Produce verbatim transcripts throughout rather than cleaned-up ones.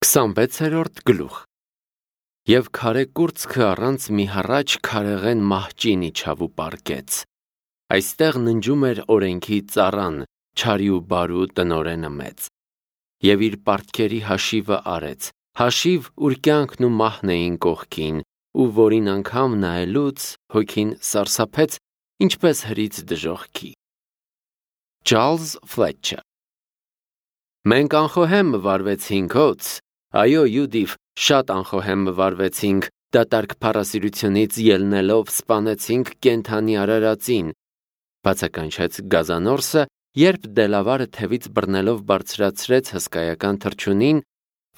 քսանվեցերորդ գլուխ Եվ քարե կուրծքը առանց մի հառաչ քարեղեն մահճին իջավ ու պառկեց։ Այստեղ ննջում էր օրենքի ծառան, չարի ու բարու տնօրենը մեծ։ Եվ իր պարտքերի հաշիվը արեց, հաշիվ, ուր կյանքն ու մահն էին կողքին, ու որին անգամ նայելուց հոգին սարսափեց, ինչպես հրից դժոխքի։ Չարլզ Ֆլետչեր Մենք անխոհեմ վարվեցինք հոց, այո, Յուդիվ, շատ անխոհեմ վարվեցինք, դատարկ փառասիրությունից ելնելով սպանեցինք կենդանի արարածին, բացականչեց գազանորսը, երբ Դելավարը թևից բռնելով բարձրացրեց հսկայական թռչունին,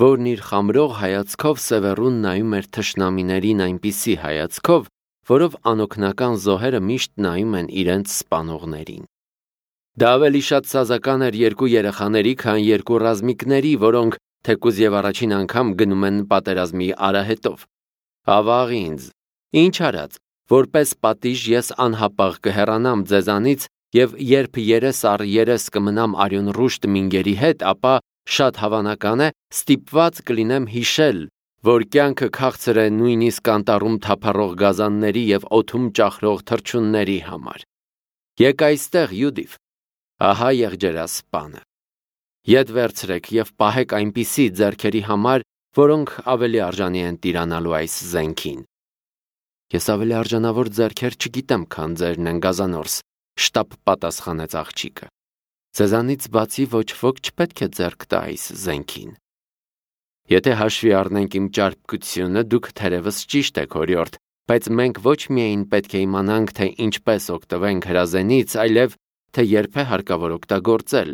որն իր խամրող հայացքով սևեռուն նայում էր թշնամիներին այնպիսի հայացքով, որով անօգնական զոհերը միշտ նայում են իրենց սպանողներին։ Դա ավելի շատ սազական էր երկու երեխաների, քան երկու ռազմիկների, որոնք թեկուզ եւ առաջին անգամ գնում են պատերազմի արահետով։ Ավաղ ինձ, ինչ արած, որպես պատիժ ես անհապաղ կհեռանամ ձեզանից եւ երբ երես առ երես կմնամ արյուն ռուշտ մինգերի հետ, ապա շատ հավանական է ստիպված կլինեմ հիշել, որ կյանքը քաղցր է նույնիսկ անտառում թափառող գազանների եւ օդում ճախրող թռչունների համար։ Եկ այստեղ, Յուդիվ, ահա եղջերասպանը։ Ետ վերցրեք եւ պահեք այնպիսի ձեռքերի համար, որոնք ավելի արժանի են տիրանալու այս զենքին։ Ես ավելի արժանավոր ձեռքեր չգիտեմ, քան ձերն են, գազանորս, շտապ պատասխանեց աղջիկը։ Ձեզանից բացի ոչ ոք չպետք է ձեռք տա այս զենքին։ Եթե հաշվի առնենք իմ ճարպկությունը, դուք թերևս ճիշտ եք, օրիորդ, բայց մենք ոչ միայն պետք է իմանանք, թե ինչպես օգտվենք հրազենից, այլև թե երբ է հարկավոր օգտագործել։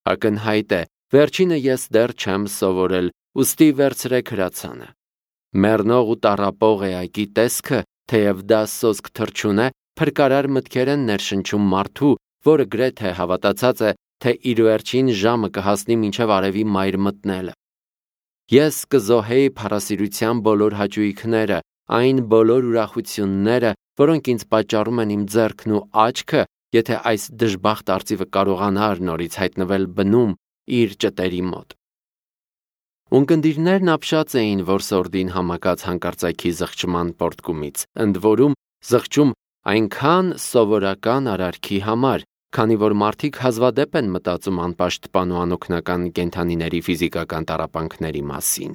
Ակնհայտ է, վերջինը ես դեռ չեմ սովորել, ուստի վերցրեք հրացանը։ Մեռնող ու տառապող էակի տեսքը, թեև դա սոսկ թռչուն է, փրկարար մտքեր են ներշնչում մարդու, որը գրեթե հավատացած է, թե իր վերջին ժամը կհասնի մինչև արևի մայր մտնելը։ Ես կզոհեի փառասիրության բոլոր հաճույքները, այն բոլոր ուրախությունները, որոնք ինձ պատճառում են իմ ձեռքն ու աչքը, եթե այս դժբախտ արծիվը կարողանար նորից հայտնվել բնում իր ճտերի մոտ։ Ունկնդիրներն ապշած էին որսորդին համակած հանկարծակի զղջման պոռթկումից, ընդ որում զղջում այնքան սովորական արարքի համար, քանի որ մարդիկ հազվադեպ են մտածում անպաշտպան ու անօգնական կենդանիների ֆիզիկական տառապանքների մասին։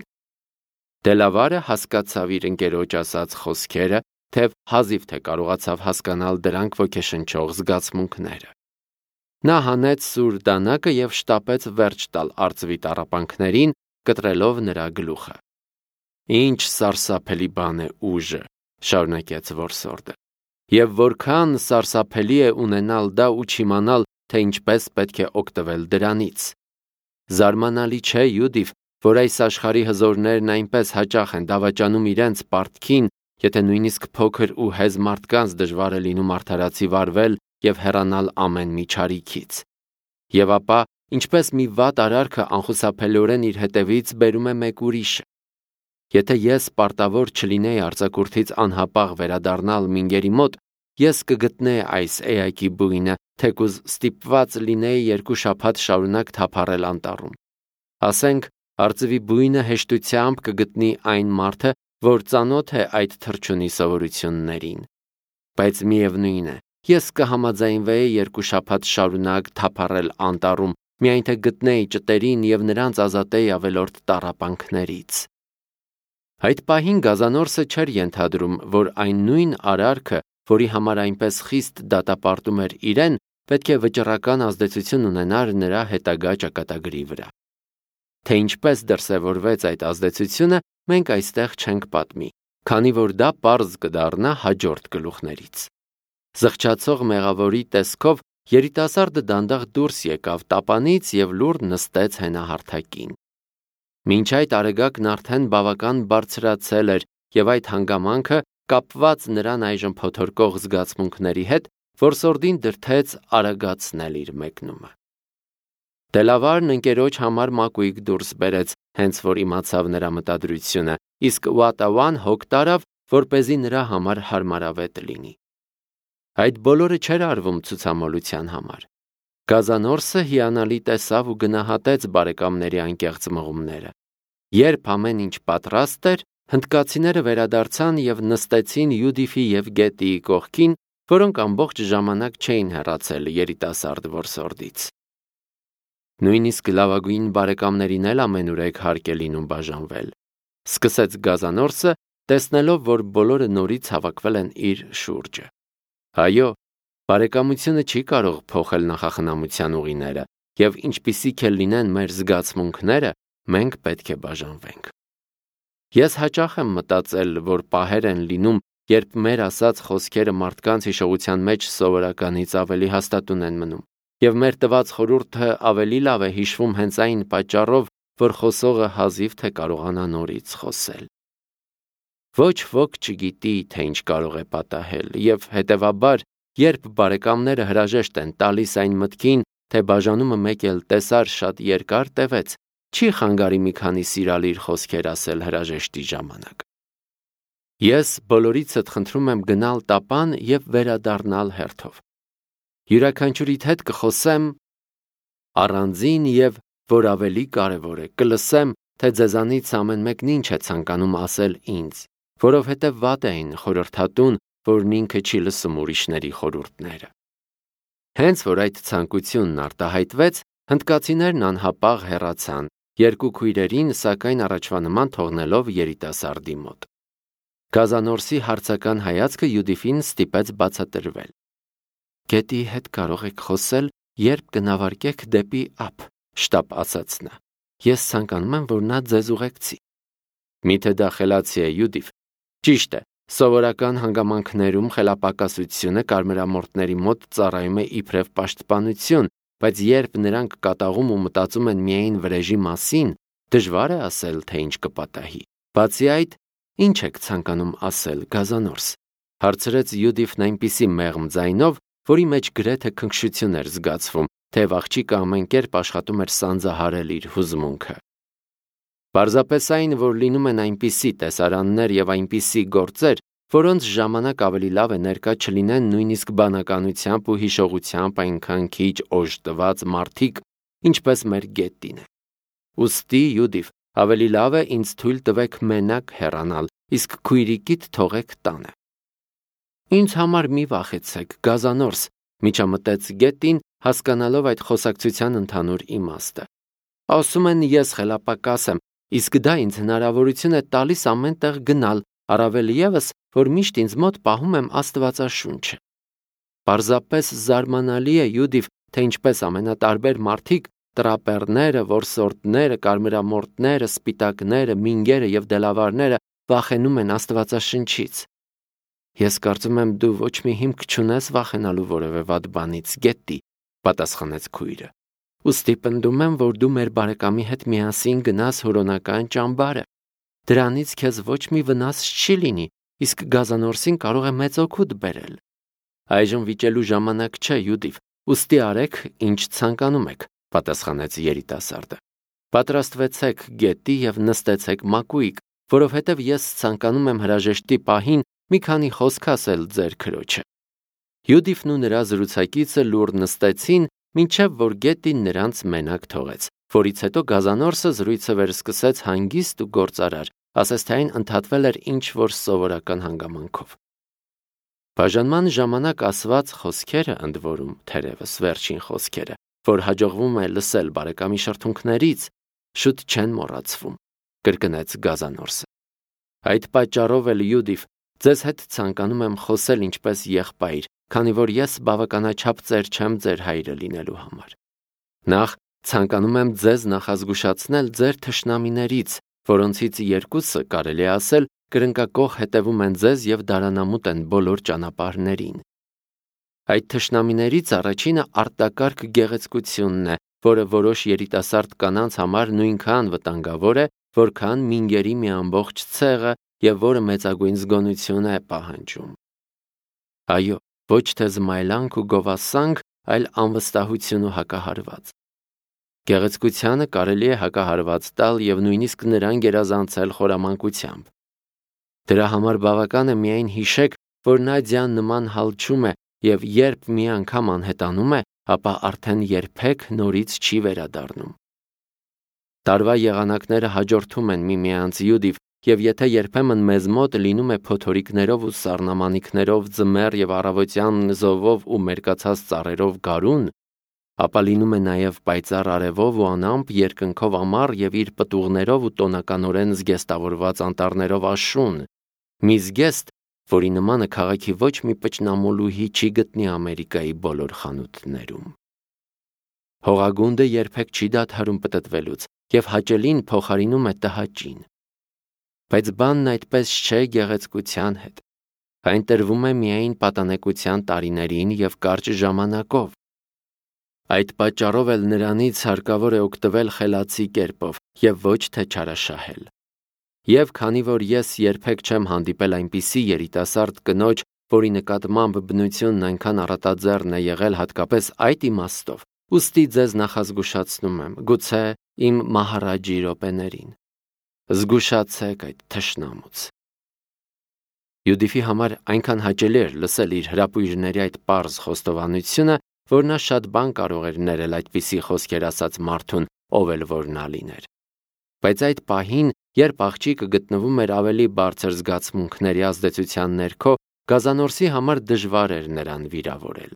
Դելավարը հասկացավ իր ընկերոջ ասած խոսքերը, թեև հազիվ թե կարողացավ հասկանալ դրանք ոգեշնչող զգացմունքները։ Նա հանեց սուր դանակը եւ շտապեց վերջ տալ արծվի տառապանքներին, կտրելով նրա գլուխը։ Ինչ սարսափելի բան է ուժը, շարունակեց որսորդը, եւ որքան սարսափելի է ունենալ դա ու չիմանալ, թե ինչպես պետք է օգտվել դրանից։ Զարմանալի չէ, Յուդիվ, որ այս աշխարհի հզորներն այնպես հաճախ են դավաճանում իրենց պարտքին, եթե նույնիսկ փոքր ու հեզ մարդկանց դժվար է լինում արդարացի վարվել եւ հեռանալ ամեն մի չարիքից։ Եվ ապա, ինչպես մի վատ արարքը անխուսափելիորեն իր հետևից բերում է մեկ ուրիշը։ Եթե ես պարտավոր չլինեի արձակուրդից անհապաղ վերադառնալ մինգերի մոտ, ես կգտնեի այս էակի բույնը, թեկուզ ստիպված լինեի երկու շաբաթ շարունակ թափառել անտառում։ Ասենք, արծվի բույնը հեշտությամբ կգտնի այն մարդը, որ ծանոթ է այդ թռչունի սովորություններին։ Բայց միևնույն է, ես կհամաձայնվեի երկու շաբաթ շարունակ թափառել անտառում, միայն թե գտնեի ճտերին եւ նրանց ազատեի ավելորդ տառապանքներից։ Այդ պահին գազանորսը չէր ենթադրում, որ այն նույն արարքը, որի համար այնպես խիստ դատապարտում էր իրեն, պետք է վճռական ազդեցություն ունենար նրա հետագա ճակատագրի վրա։ Թե ինչպես դրսևորվեց այդ ազդեցությունը, մենք այստեղ չենք պատմի, քանի որ դա պարզ կդառնա հաջորդ գլուխներից։ Զղջացող մեղավորի տեսքով երիտասարդը դանդաղ դուրս եկավ տապանից եւ լուռ նստեց հենահարթակին։ Մինչ այդ արեգակն արդեն բավական բարձրացել էր եւ այդ հանգամանքը, կապված նրան այժմ փոթորկող զգացմունքների հետ, որսորդին դրդեց արագացնել իր մեկնումը։ Դելավարն ընկերոջ համար մակույկ դուրս բերեց, հենց որ իմացավ նրա մտադրությունը, իսկ Ուատավան հոգ տարավ, որպեսզի նրա համար հարմարավետ լինի։ Այդ բոլորը չէր արվում ցուցամոլության համար։ Գազանորսը հիանալի տեսավ ու գնահատեց բարեկամների անկեղծ մղումները։ Երբ ամեն ինչ պատրաստ էր, հնդկացիները վերադարձան եւ նստեցին Յուդիֆի եւ Գետիի կողքին, որոնք ամբողջ ժամանակ չէին հեռացել երիտասարդ որսորդից։ Նույնիսկ լավագույն բարեկամներին էլ ամենուրեք հարկ է լինում բաժանվել, սկսեց Գազանորսը, տեսնելով, որ բոլորը նորից հավաքվել են իր շուրջը։ Այո, բարեկամությունը չի կարող փոխել նախախնամության ուղիները, եւ ինչպիսիք էլ լինեն մեր զգացմունքները, մենք պետք է բաժանվենք։ Ես հաճախ եմ մտածել, որ պահեր են լինում, երբ մեր ասած խոսքերը մարդկանց հիշողության մեջ սովորականից ավելի հաստատուն են մնում, եւ մեր տված խորհուրդը ավելի լավ է հիշվում հենց այն պատճառով, որ խոսողը հազիվ թե կարողանա նորից խոսել։ Ոչ ոք չգիտի, թե ինչ կարող է պատահել, եւ հետեւաբար, երբ բարեկամները հրաժեշտ են տալիս այն մտքին, թե բաժանումը մեկ էլ տեսար շատ երկար տևեց, չի խանգարի մի քանի սիրալիր խոսքեր ասել հրաժեշտի ժամանակ։ Ես բոլորիցդ խնդրում եմ գնալ տապան եւ վերադառնալ հերթով։ Յուրաքանչյուրիդ հետ կխոսեմ առանձին եւ, որ ավելի կարևոր է, կլսեմ, թե ձեզանից ամեն մեկն ինչ է ցանկանում ասել ինձ, որովհետեւ վատ էին խորհրդատուն, որն ինքը չի լսում ուրիշների խորհուրդները։ Հենց որ այդ ցանկությունն արտահայտվեց, հնդկացիներն անհապաղ հեռացան, երկու քույրերին, սակայն առաջվա նման թողնելով երիտասարդի մոտ։ Գազանորսի հարցական հայացքը Յուդիֆին ստիպեց բացատրվել։ Գետի հետ կարող եք խոսել, երբ կնավարկեք դեպի ափ, շտապ ասաց նա։ Ես ցանկանում եմ, որ նա ձեզ ուղեկցի։ Միթե դա խելացի է, Յուդիֆ։ Ճիշտ է, սովորական հանգամանքներում խելապակասությունը կարմրամորթների մոտ ծառայում է իբրև պաշտպանություն, բայց երբ նրանք կատաղում ու մտածում են միայն վրեժի մասին, դժվար է ասել, թե ինչ կպատահի։ Բացի այդ, ինչ եք ցանկանում ասել, Գազանորս, հարցրեց Յուդիֆն այնպիսի մեղմ ձայնով, որի մեջ գրեթե քնքշություն էր զգացվում, թեև աղջիկը ամեն կերպ աշխատում էր սանձահարել իր հուզմունքը։ Պարզապես այն, որ լինում են այնպիսի տեսարաններ եւ այնպիսի գործեր, որոնց ժամանակ ավելի լավ է ներկա չլինեն նույնիսկ բանականությամբ ու հիշողությամբ այնքան քիչ օժտված մարդիկ, ինչպես մեր Գետին է։ Ուստի, Յուդիֆ, ավելի լավ է ինձ թույլ տվեք մենակ հեռանալ, իսկ քույրիկիդ թողեք տանը։ Ինձ համար մի վախեցեք, Գազանորս, միջամտեց Գետին, հասկանալով այդ խոսակցության ընդհանուր իմաստը։ Ասում են ես խելապակաս եմ, իսկ դա ինձ հնարավորություն է տալիս ամեն տեղ գնալ, առավել ևս, որ միշտ ինձ մոտ պահում եմ Աստվածաշունչը։ Պարզապես զարմանալի է, Յուդիֆ, թե ինչպես ամենատարբեր մարդիկ, տրապերները, որսորդները, կարմրամորթները, սպիտակները, մինգերը եւ դելավարները վախենում են Աստվածաշնչից։ Ես կարծում եմ դու ոչ մի հիմք չունես վախենալու որևէ վատ բանից, Գետի, պատասխանեց քույրը։ Ուստի պնդում եմ, որ դու մեր բարեկամի հետ միասին գնաս հորոնական ճամբարը։ Դրանից քեզ ոչ մի վնաս չի լինի, իսկ Գազանորսին կարող է մեծ օգուտ բերել։ Այժմ վիճելու ժամանակ չէ, Յուդիֆ, ուստի արեք, ինչ ցանկանում եք, պատասխանեց երիտասարդը։ Պատրաստվեցեք, Գետի, եւ նստեցեք մակույկ, որովհետև ես ցանկանում եմ հրաժեշտի պահին մի քանի խոսք ասել ձեր քրոջը։ Յուդիֆն ու նրա զրուցակիցը լուռ նստեցին, մինչև որ Գետին նրանց մենակ թողեց, որից հետո Գազանորսը զրույցը վերսկսեց հանգիստ ու գործարար, ասես թե այն ընդհատվել էր ինչ-որ սովորական հանգամանքով։ Բաժանման ժամանակ ասված խոսքերը, ընդ որում, թերևս վերջին խոսքերը, որ հաջողվում է լսել բարեկամի շրթունքներից, շուտ չեն մոռացվում, կրկնեց Գազանորսը։ Այդ պատճառով էլ, Յուդիֆ, ձեզ հետ ցանկանում եմ խոսել ինչպես եղբայր, քանի որ ես բավականաչափ ծեր չեմ ձեր հայրը լինելու համար։ Նախ ցանկանում եմ ձեզ նախազգուշացնել ձեր թշնամիներից, որոնցից երկուսը, կարելի է ասել, կրնկակոխ հետևում են ձեզ եւ դարանամուտ են բոլոր ճանապարհներին։ Այդ թշնամիներից առաջինը արտակարգ գեղեցկությունն է, որը որոշ երիտասարդ կանանց համար նույնքան վտանգավոր է, որքան մինգերի մի ամբողջ ցեղը եւ որը մեծագույն զգոնություն է պահանջում։ Այո, ոչ թե զմայլանք ու գովասանք, այլ անվստահություն ու հակահարված։ Գեղեցկությանը կարելի է հակահարված տալ եւ նույնիսկ նրան գերազանցել խորամանկությամբ։ Դրա համար բավական է միայն հիշեք, որ Նադյան նման հալչում է եւ երբ մի անգամ անհետանում է, ապա արդեն երբեք նորից չի վերադառնում։ Տարվա եղանակները հաջորդում են միմյանց Յուդիվ, եւ եթե երբեմն մեզ մոտ լինում է փոթորիկներով ու սառնամանիքներով ձմեռ եւ առավոտյան զովով ու մերկացած ծառերով գարուն, ապա լինում է նաեւ պայծառ արևով ու անամպ երկնքով ամառ եւ իր պտուղներով ու տոնականորեն զգեստավորված անտառներով աշուն, մի զգեստ, որի նմանը քաղաքի ոչ մի պճնամոլուհի չի գտնի Ամերիկայի բոլոր խանութներում։ Հողագունդը երբեք չի դադարում պտտվելուց եւ հաճելին փոխարինում է տհաճին։ Բայց բանն այդպես չէ գեղեցկության հետ։ Այն տրվում է միայն պատանեկության տարիներին եւ կարճ ժամանակով։ Այդ պատճառով էլ նրանից հարկավոր է օգտվել խելացի կերպով եւ ոչ թե չարաշահել։ Եվ քանի որ ես երբեք չեմ հանդիպել այնպիսի երիտասարդ կնոջ, որի նկատմամբ բնությունն այնքան առատաձեռն է եղել հատկապես այդ իմաստով, ուստի ձեզ նախազգուշացնում եմ, գուցե իմ մահարաջի րոպեներին։ Զգուշացեք այդ թշնամուց։ Յուդիֆի համար այնքան հաճելի էր լսել իր հրապույրների այդ պարզ խոստովանությունը, որ նա շատ բան կարող էր ներել այդպիսի խոսքեր ասած մարդուն, ով էլ որ նա լիներ։ Բայց այդ պահին, երբ աղջիկը գտնվում էր ավելի բարձր զգացմունքների ազդեցության ներքո, Գազանորսի համար դժվար էր նրան վիրավորել։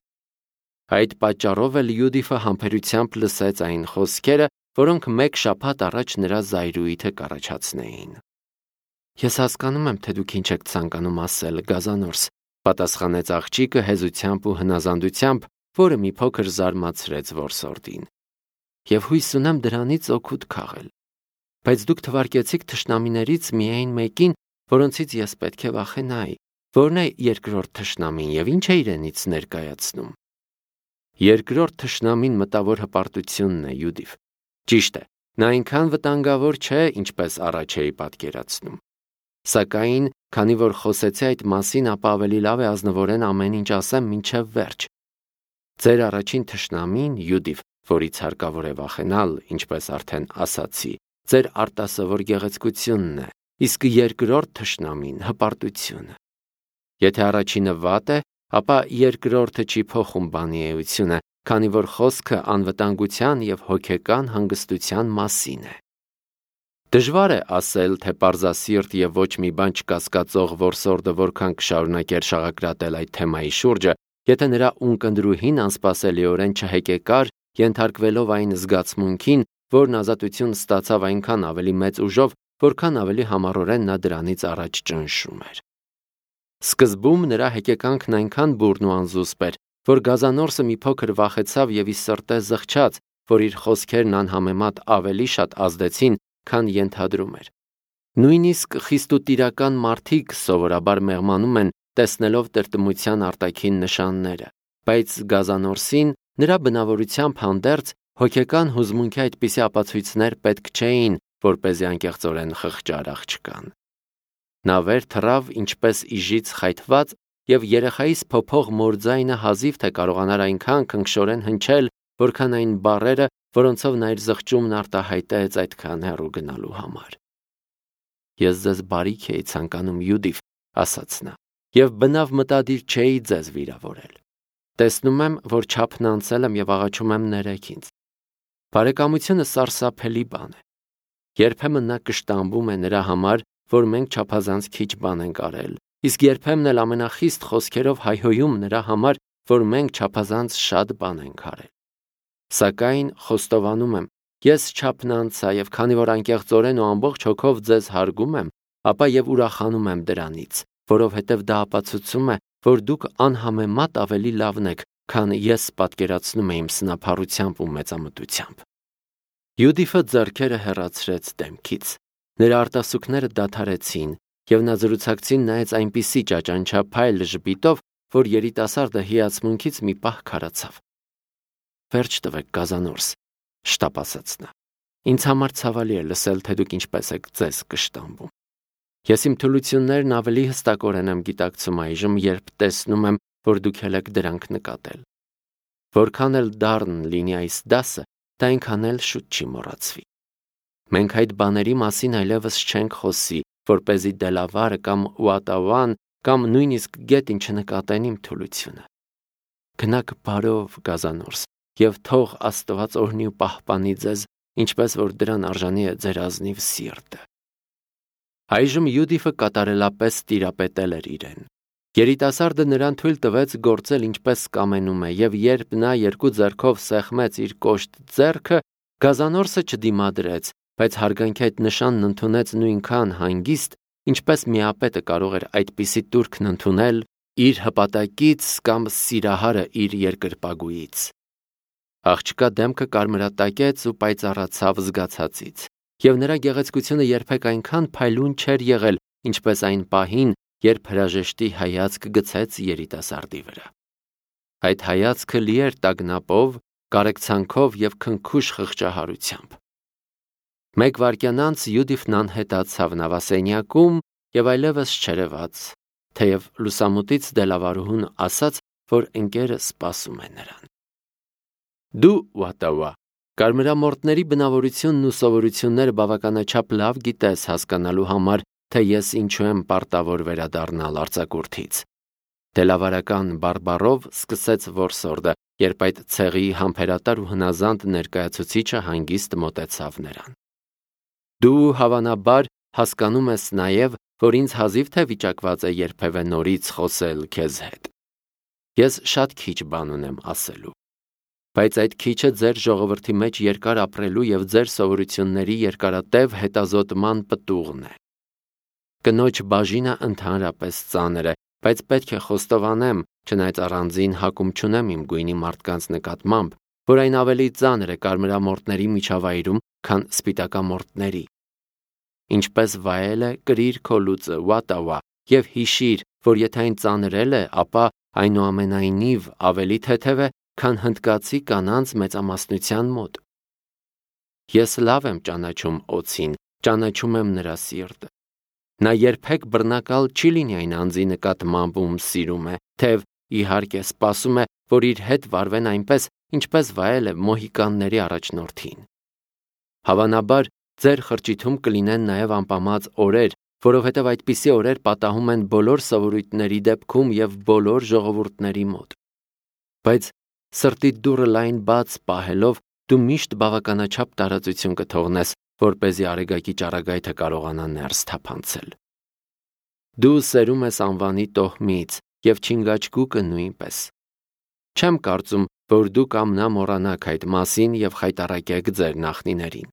Այդ պատճառով էլ Յուդիֆը համբերությամբ լսեց այն խոսքերը, որոնք մեկ շաբաթ առաջ նրա զայրույթը կառաջացնեին։ Ես հասկանում եմ, թե դուք ինչ եք ցանկանում ասել, Գազանորս, պատասխանեց աղջիկը հեզությամբ ու հնազանդությամբ, որը մի փոքր զարմացրեց որսորդին։ Եվ հույս ունեմ դրանից օգուտ քաղել։ Բայց դուք թվարկեցիք թշնամիներից միայն մեկին, որոնցից ես պետք է վախենայի, որն է երկրորդ թշնամին եւ ինչ է իրենից ներկայացնում։ Երկրորդ թշնամին մտավոր հպարտությունն է, Յուդիվ։ Ճիշտ է, նա այնքան վտանգավոր չէ, ինչպես առաջ էի պատկերացնում։ Սակայն, քանի որ խոսեցի այդ մասին, ապա ավելի լավ է ազնվորեն ամեն ինչ ասեմ մինչև վերջ։ Ձեր առաջին թշնամին, Յուդիվ, որից հարկավոր է վախենալ, ինչպես արդեն ասացի, ձեր արտասովոր գեղեցկությունն է, իսկ երկրորդ թշնամին հպարտությունը։ Եթե առաջինը վատ է, ապա երկրորդը չի փոխում բանի էությունը, քանի որ խոսքը անվտանգության եւ հոգեկան հանգստության մասին է։ Դժվար է ասել, թե պարզասիրտ եւ ոչ մի բան չկասկածող որսորդը որքան կշարունակեր շաղակրատել այդ թեմայի շուրջը, եթե նրա ունկնդրուհին անսպասելիորեն չհեկեկար, ենթարկվելով այն զգացմունքին, որն ազատություն ստացավ այնքան ավելի մեծ ուժով, որքան ավելի համառորեն նա դրանից առաջ ճնշում էր։ Սկզբում նրա հեկեկանքն այնքան բուրն ու անզուսպ էր, որ Գազանորսը մի փոքր վախեցավ եւ ի սրտե զղջաց, որ իր խոսքերն անհամեմատ ավելի շատ ազդեցին, քան ենթադրում էր։ Նույնիսկ խիստ ու տիրական մարդիկ սովորաբար մեղմանում են, տեսնելով տրտմության արտաքին նշանները, բայց Գազանորսին նրա բնավորությամբ հանդերձ հոգեկան հուզմունքի այդպիսի ապացույցներ պետք չէին, որպեսզի անկեղծորեն խղճար աղջկան։ Նա վեր թռավ ինչպես իժից խայթված եւ երեխայիս փոփող մորձայինը հազիվ թե կարողանար այնքան քնքշորեն հնչել, որքան այն բառերը, որոնցով նա իր զղջումն արտահայտեց այդքան հեռու գնալու համար։ Ես ձեզ բարիք էի ցանկանում, Յուդիվ, ասաց նա, եւ բնավ մտադիր չէի ձեզ վիրավորել։ Տեսնում եմ, որ չափն անցել եմ եւ աղաչում եմ ներեք ինձ։ Բարեկամությունը սարսափելի բան է։ Երբեմն նա կշտամբում է նրա համար, որ մենք չափազանց քիչ բան ենք արել, իսկ երբեմն էլ ամենախիստ խոսքերով հայհոյում նրա համար, որ մենք չափազանց շատ բան ենք արել։ Սակայն խոստովանում եմ, ես չափն անցա եւ քանի որ անկեղծորեն ու ամբողջ հոգով ձեզ հարգում եմ, ապա եւ ուրախանում եմ դրանից, որովհետեւ դա ապացուցում է, որ դուք անհամեմատ ավելի լավն եք, քան ես պատկերացնում եմ սնափառությամբ ու մեծամտությամբ։ Յուդիֆը ձեռքերը հեռացրեց դեմքից։ Նրա արտասուքները դադարեցին, եւ նա զրուցակցին նայեց այնպիսի ճաճանչափայլ ժպիտով, որ երիտասարդը հիացմունքից մի պահ քարացավ։ Վերջ տվեք, Գազանորս, շտապ ասաց նա։ Ինձ համար ցավալի է լսել, թե դուք ինչպես եք ձեզ կշտամբում։ Ես իմ թուլություններն ավելի հստակորեն եմ գիտակցում այժմ, երբ տեսնում եմ, որ դուք ել եք դրանք նկատել։ Որքան էլ դառն լինի այս դասը, դա այնքան էլ շուտ չի մոռացվի։ Մենք այդ բաների մասին այլևս չենք խոսի, որպեսզի դելավարը կամ ուատավան կամ նույնիսկ գետին չնկատեն իմ թուլությունը։ Գնաք բարով, Գազանորս, եւ թող Աստված օրհնի ու պահպանի ձեզ ինչպես որ դրան արժանի է ձեր ազնիվ սիրտը։ Այժմ Յուդիֆը կատարելապես տիրապետել էր իրեն։ Երիտասարդը նրան թույլ տվեց գործել ինչպես կամենում է, եւ երբ նա երկու ձեռքով սեղմեց իր կոշտ ձեռքը, գազանորսը չդիմադրեց, բայց հարգանքի այդ նշանն ընդունեց նույնքան հանգիստ, ինչպես միապետը կարող էր այդպիսի տուրքն ընդունել իր հպատակից կամ սիրահարը իր երկրպագուից։ Աղջկա դեմքը կարմրատակեց ու պայծառացավ զգացածից, եւ նրա գեղեցկությունը երբեք այնքան փայլուն չէր եղել, ինչպես այն պահին, երբ հրաժեշտի հայացք գցեց երիտասարդի վրա։ Այդ հայացքը լի էր տագնապով, կարեկցանքով եւ քնքուշ խղճահարությամբ։ Մեկ վայրկյան անց Յուդիֆն անհետացավ նավասենյակում եւ այլևս չերևաց, թեև լուսամուտից դելավարուհուն ասաց, որ ընկերը սպասում է նրան։ Դու, Վատավա, կարմրամորտների բնավորությունն ու սովորությունները բավականաչափ լավ գիտես հասկանալու համար, թե ես ինչու եմ պարտավոր վերադառնալ արձակուրդից։ Դելավարական բարբառով սկսեց որսորդը, երբ այդ ցեղի համբերատար ու հնազանդ ներկայացուցիչը հանգիստ մոտեցավ նրան։ Դու հավանաբար հասկանում ես նաև, որ ինձ հազիվ թե վիճակված է երբևէ նորից խոսել քեզ հետ։ Ես շատ քիչ բան ունեմ ասելու, բայց այդ քիչը ձեր ժողովրդի մեջ երկար ապրելու եւ ձեր սովորությունների երկարատև հետազոտման պտուղն է։ Կնոջ բաժինը ընդհանրապես ծանր է, բայց պետք է խոստովանեմ, չնայած առանձին հակում չունեմ իմ գույնի մարդկանց նկատմամբ, որ այն ավելի ծանր է կարմրամորտների միջավայրում, քան սպիտակամորտների։ Ինչպես վայել է կրիր քո լուծը, Վատավա, եւ հիշիր, որ եթե այն ծանրել է, ապա այնուամենայնիվ ավելի թեթև է, քան հնդկացի կանանց մեծամասնության մոտ։ Ես լավ եմ ճանաչում Օձին, ճանաչում եմ նրա սիրտը։ Նա երբեք բռնակալ չի լինի այն անձի նկատմամբ, ում սիրում է, թեև իհարկե սպասում է, որ իր հետ վարվեն այնպես, ինչպես վայել է մոհիկանների առաջնորդին։ Հավանաբար ձեր խրճիթում կլինեն նաև անպամած օրեր, որովհետև այդպիսի օրեր պատահում են բոլոր սովորույթների դեպքում եւ բոլոր ժողովուրդների մոտ։ Բայց սրտի դուռը լայն բաց պահելով, դու միշտ բավականաչափ տարածություն կթողնես, որպեսզի արեգակի ճառագայթը կարողանա ներս թափանցել։ Դու սերում ես անվանի տոհմից եւ չինգաչգուկը նույնպես։ Չեմ կարծում, որ դու կամնա մոռանաք այդ մասին եւ խայտառակեք ձեր նախնիներին։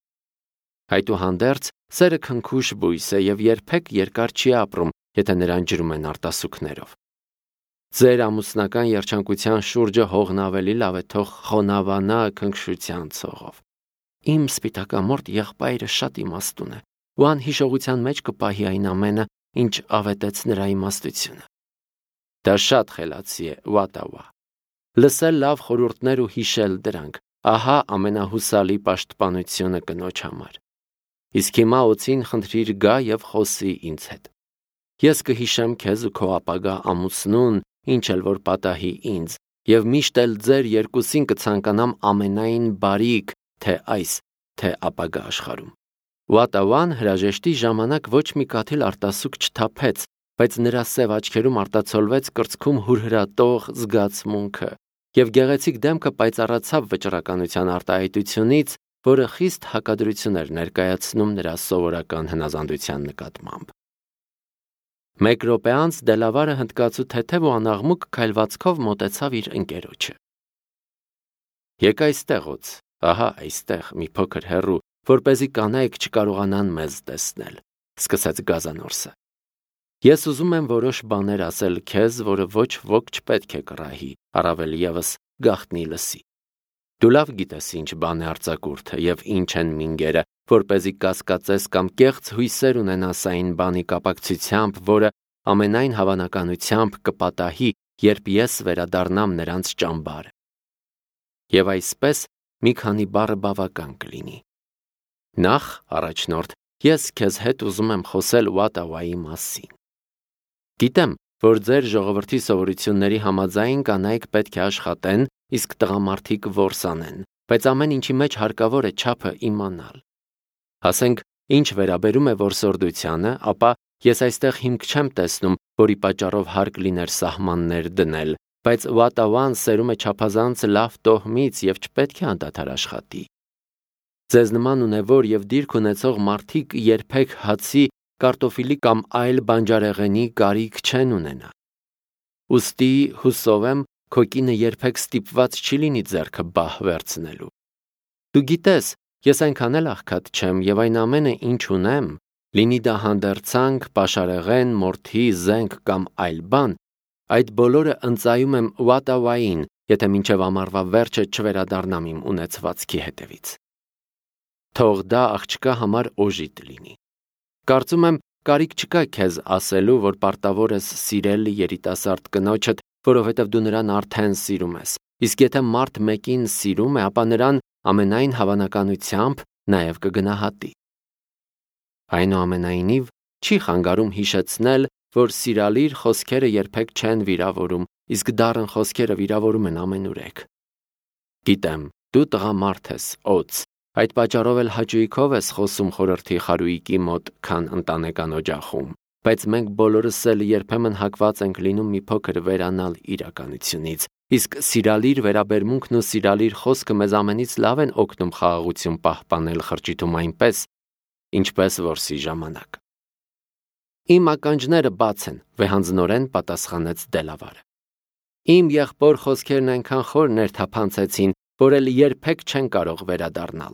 Այդուհանդերձ, սերը քնքուշ բույս է եւ երբեք երկար չի ապրում, եթե նրան ջրում են արտասուքներով։ Ձեր ամուսնական երջանկության շուրջը հողն ավելի լավ է թող խոնավանա քնքշության ցողով։ Իմ սպիտակամորտ եղբայրը շատ իմաստուն է, ու անհիշողության մեջ կպահի այն ամենը, ինչ ավետեց նրա իմաստությունը։ Դա շատ խելացի է, Վատավա։ Լսել լավ խորհուրդներ ու հիշել դրանք, ահա ամենահուսալի պաշտպանությունը կնոջ համար։ Իսկ հիմա Օձին խնդրիր գա եւ խոսի ինձ հետ։ Ես կհիշեմ քեզ ու քո ապագա ամուսնուն, ինչ էլ որ պատահի ինձ, եւ միշտ էլ ձեր երկուսին կցանկանամ ամենայն բարիք, թե այս, թե ապագա աշխարհում։ Վատավան հրաժեշտի ժամանակ ոչ մի կաթիլ արտասուք չթափեց, բայց նրա սև աչքերում արտացոլվեց կրծքում հուրհրատող զգացմունքը, եւ գեղեցիկ դեմքը պայծառացավ վճռականության արտահայտությունից, որը խիստ հակադրություն էր ներկայացնում նրա սովորական հնազանդության նկատմամբ։ Մեկ րոպե անց Դելավարը հնդկացու թեթև ու անաղմուկ քայլվածքով մոտեցավ իր ընկերոջը։ Եկ այստեղ Օձ, ահա այստեղ մի փոքր հեռու, որպեսզի կանայք չկարողանան մեզ տեսնել, սկսեց գազանորսը։ Ես ուզում եմ որոշ բաներ ասել քեզ, որը ոչ ոք չպետք է կռահի, առավել ևս գաղտնի լսի։ Դու լավ գիտես ինչ բան է արձակուրդը եւ ինչ են մինգերը, որպեսզի կասկածես կամ կեղծ հույսեր ունենաս այն բանի կապակցությամբ, որը ամենայն հավանականությամբ կպատահի, երբ ես վերադառնամ նրանց ճամբարը։ Եվ այսպես մի քանի բառը բավական կլինի։ Նախ, առաջնորդ, ես քեզ հետ ուզում եմ խոսել Վատավայի մասին։ Գիտեմ, որ ձեր ժողովրդի սովորությունների համաձայն կանայք պետք է աշխատեն, իսկ տղամարդիկ որսանեն, բայց ամեն ինչի մեջ հարկավոր է չափը իմանալ։ Ասենք, ինչ վերաբերում է որսորդությանը, ապա ես այստեղ հիմք չեմ տեսնում, որի պատճառով հարկ լիներ սահմաններ դնել, բայց Վատավան սերում է չափազանց լավ տոհմից եւ չպետք է անդադար աշխատի։ Ձեզ նման ունևոր և դիրք ունեցող մարդիկ երբեք հացի, կարտոֆիլի կամ այլ բանջարեղենի կարիք չեն ունենա։ Ուստի հուսով եմ, քո կինը երբեք ստիպված չի լինի ձեռքը բահ վերցնելու։ Դու գիտես, ես այնքան էլ աղքատ չեմ և այն ամենը, ինչ ունեմ, լինի դա հանդերձանք, պաշարեղեն, մորթի, զենք կամ այլ բան, այդ բոլորը ընծայում եմ Վատավային, եթե մինչև ամառվա վերջը չվերադառնամ իմ ունեցվածքի հետևից։ Թող դա աղջկա համար օժիտ լինի։ Կարծում եմ, կարիք չկա քեզ ասելու, որ պարտավոր ես սիրել երիտասարդ կնոջդ, որովհետև դու նրան արդեն սիրում ես, իսկ եթե մարդ մեկին սիրում է, ապա նրան ամենայն հավանականությամբ նաև կգնահատի։ Այնուամենայնիվ, չի խանգարում հիշեցնել, որ սիրալիր խոսքերը երբեք չեն վիրավորում, իսկ դառն խոսքերը վիրավորում են ամենուրեք։ Գիտեմ, դու տղամարդ ես, օձ, այդ պատճառով էլ հաճույքով ես խոսում խորհրդի խարույկի մոտ, քան ընտանեկան օջախում, բայց մենք բոլորս էլ երբեմն հակված ենք լինում մի փոքր վերանալ իրականությունից, իսկ սիրալիր վերաբերմունքն ու սիրալիր խոսքը մեզ ամենից լավ են օգնում խաղաղություն պահպանել խրճիթում այնպես, ինչպես որսի ժամանակ։ Իմ ականջները բաց են, վեհանձնորեն պատասխանեց Դելավարը։ Իմ եղբոր խոսքերն այնքան խոր ներթափանցեցին, որ էլ երբեք չեն կարող վերադառնալ։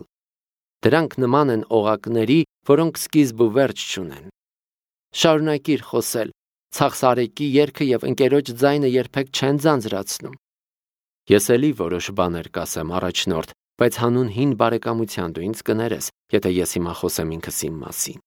Դրանք նման են օղակների, որոնք սկիզբ ու վերջ չունեն։ Շարունակիր խոսել, ցախսարեկի երգը և ընկերոջ ձայնը երբեք չեն ձանձրացնում։ Ես էլի որոշ բաներ կասեմ առաջնորդ, բայց հանուն հին բարեկամության դու ինձ կներես, եթե ես հիմա խոսեմ ինքս իմ մասին։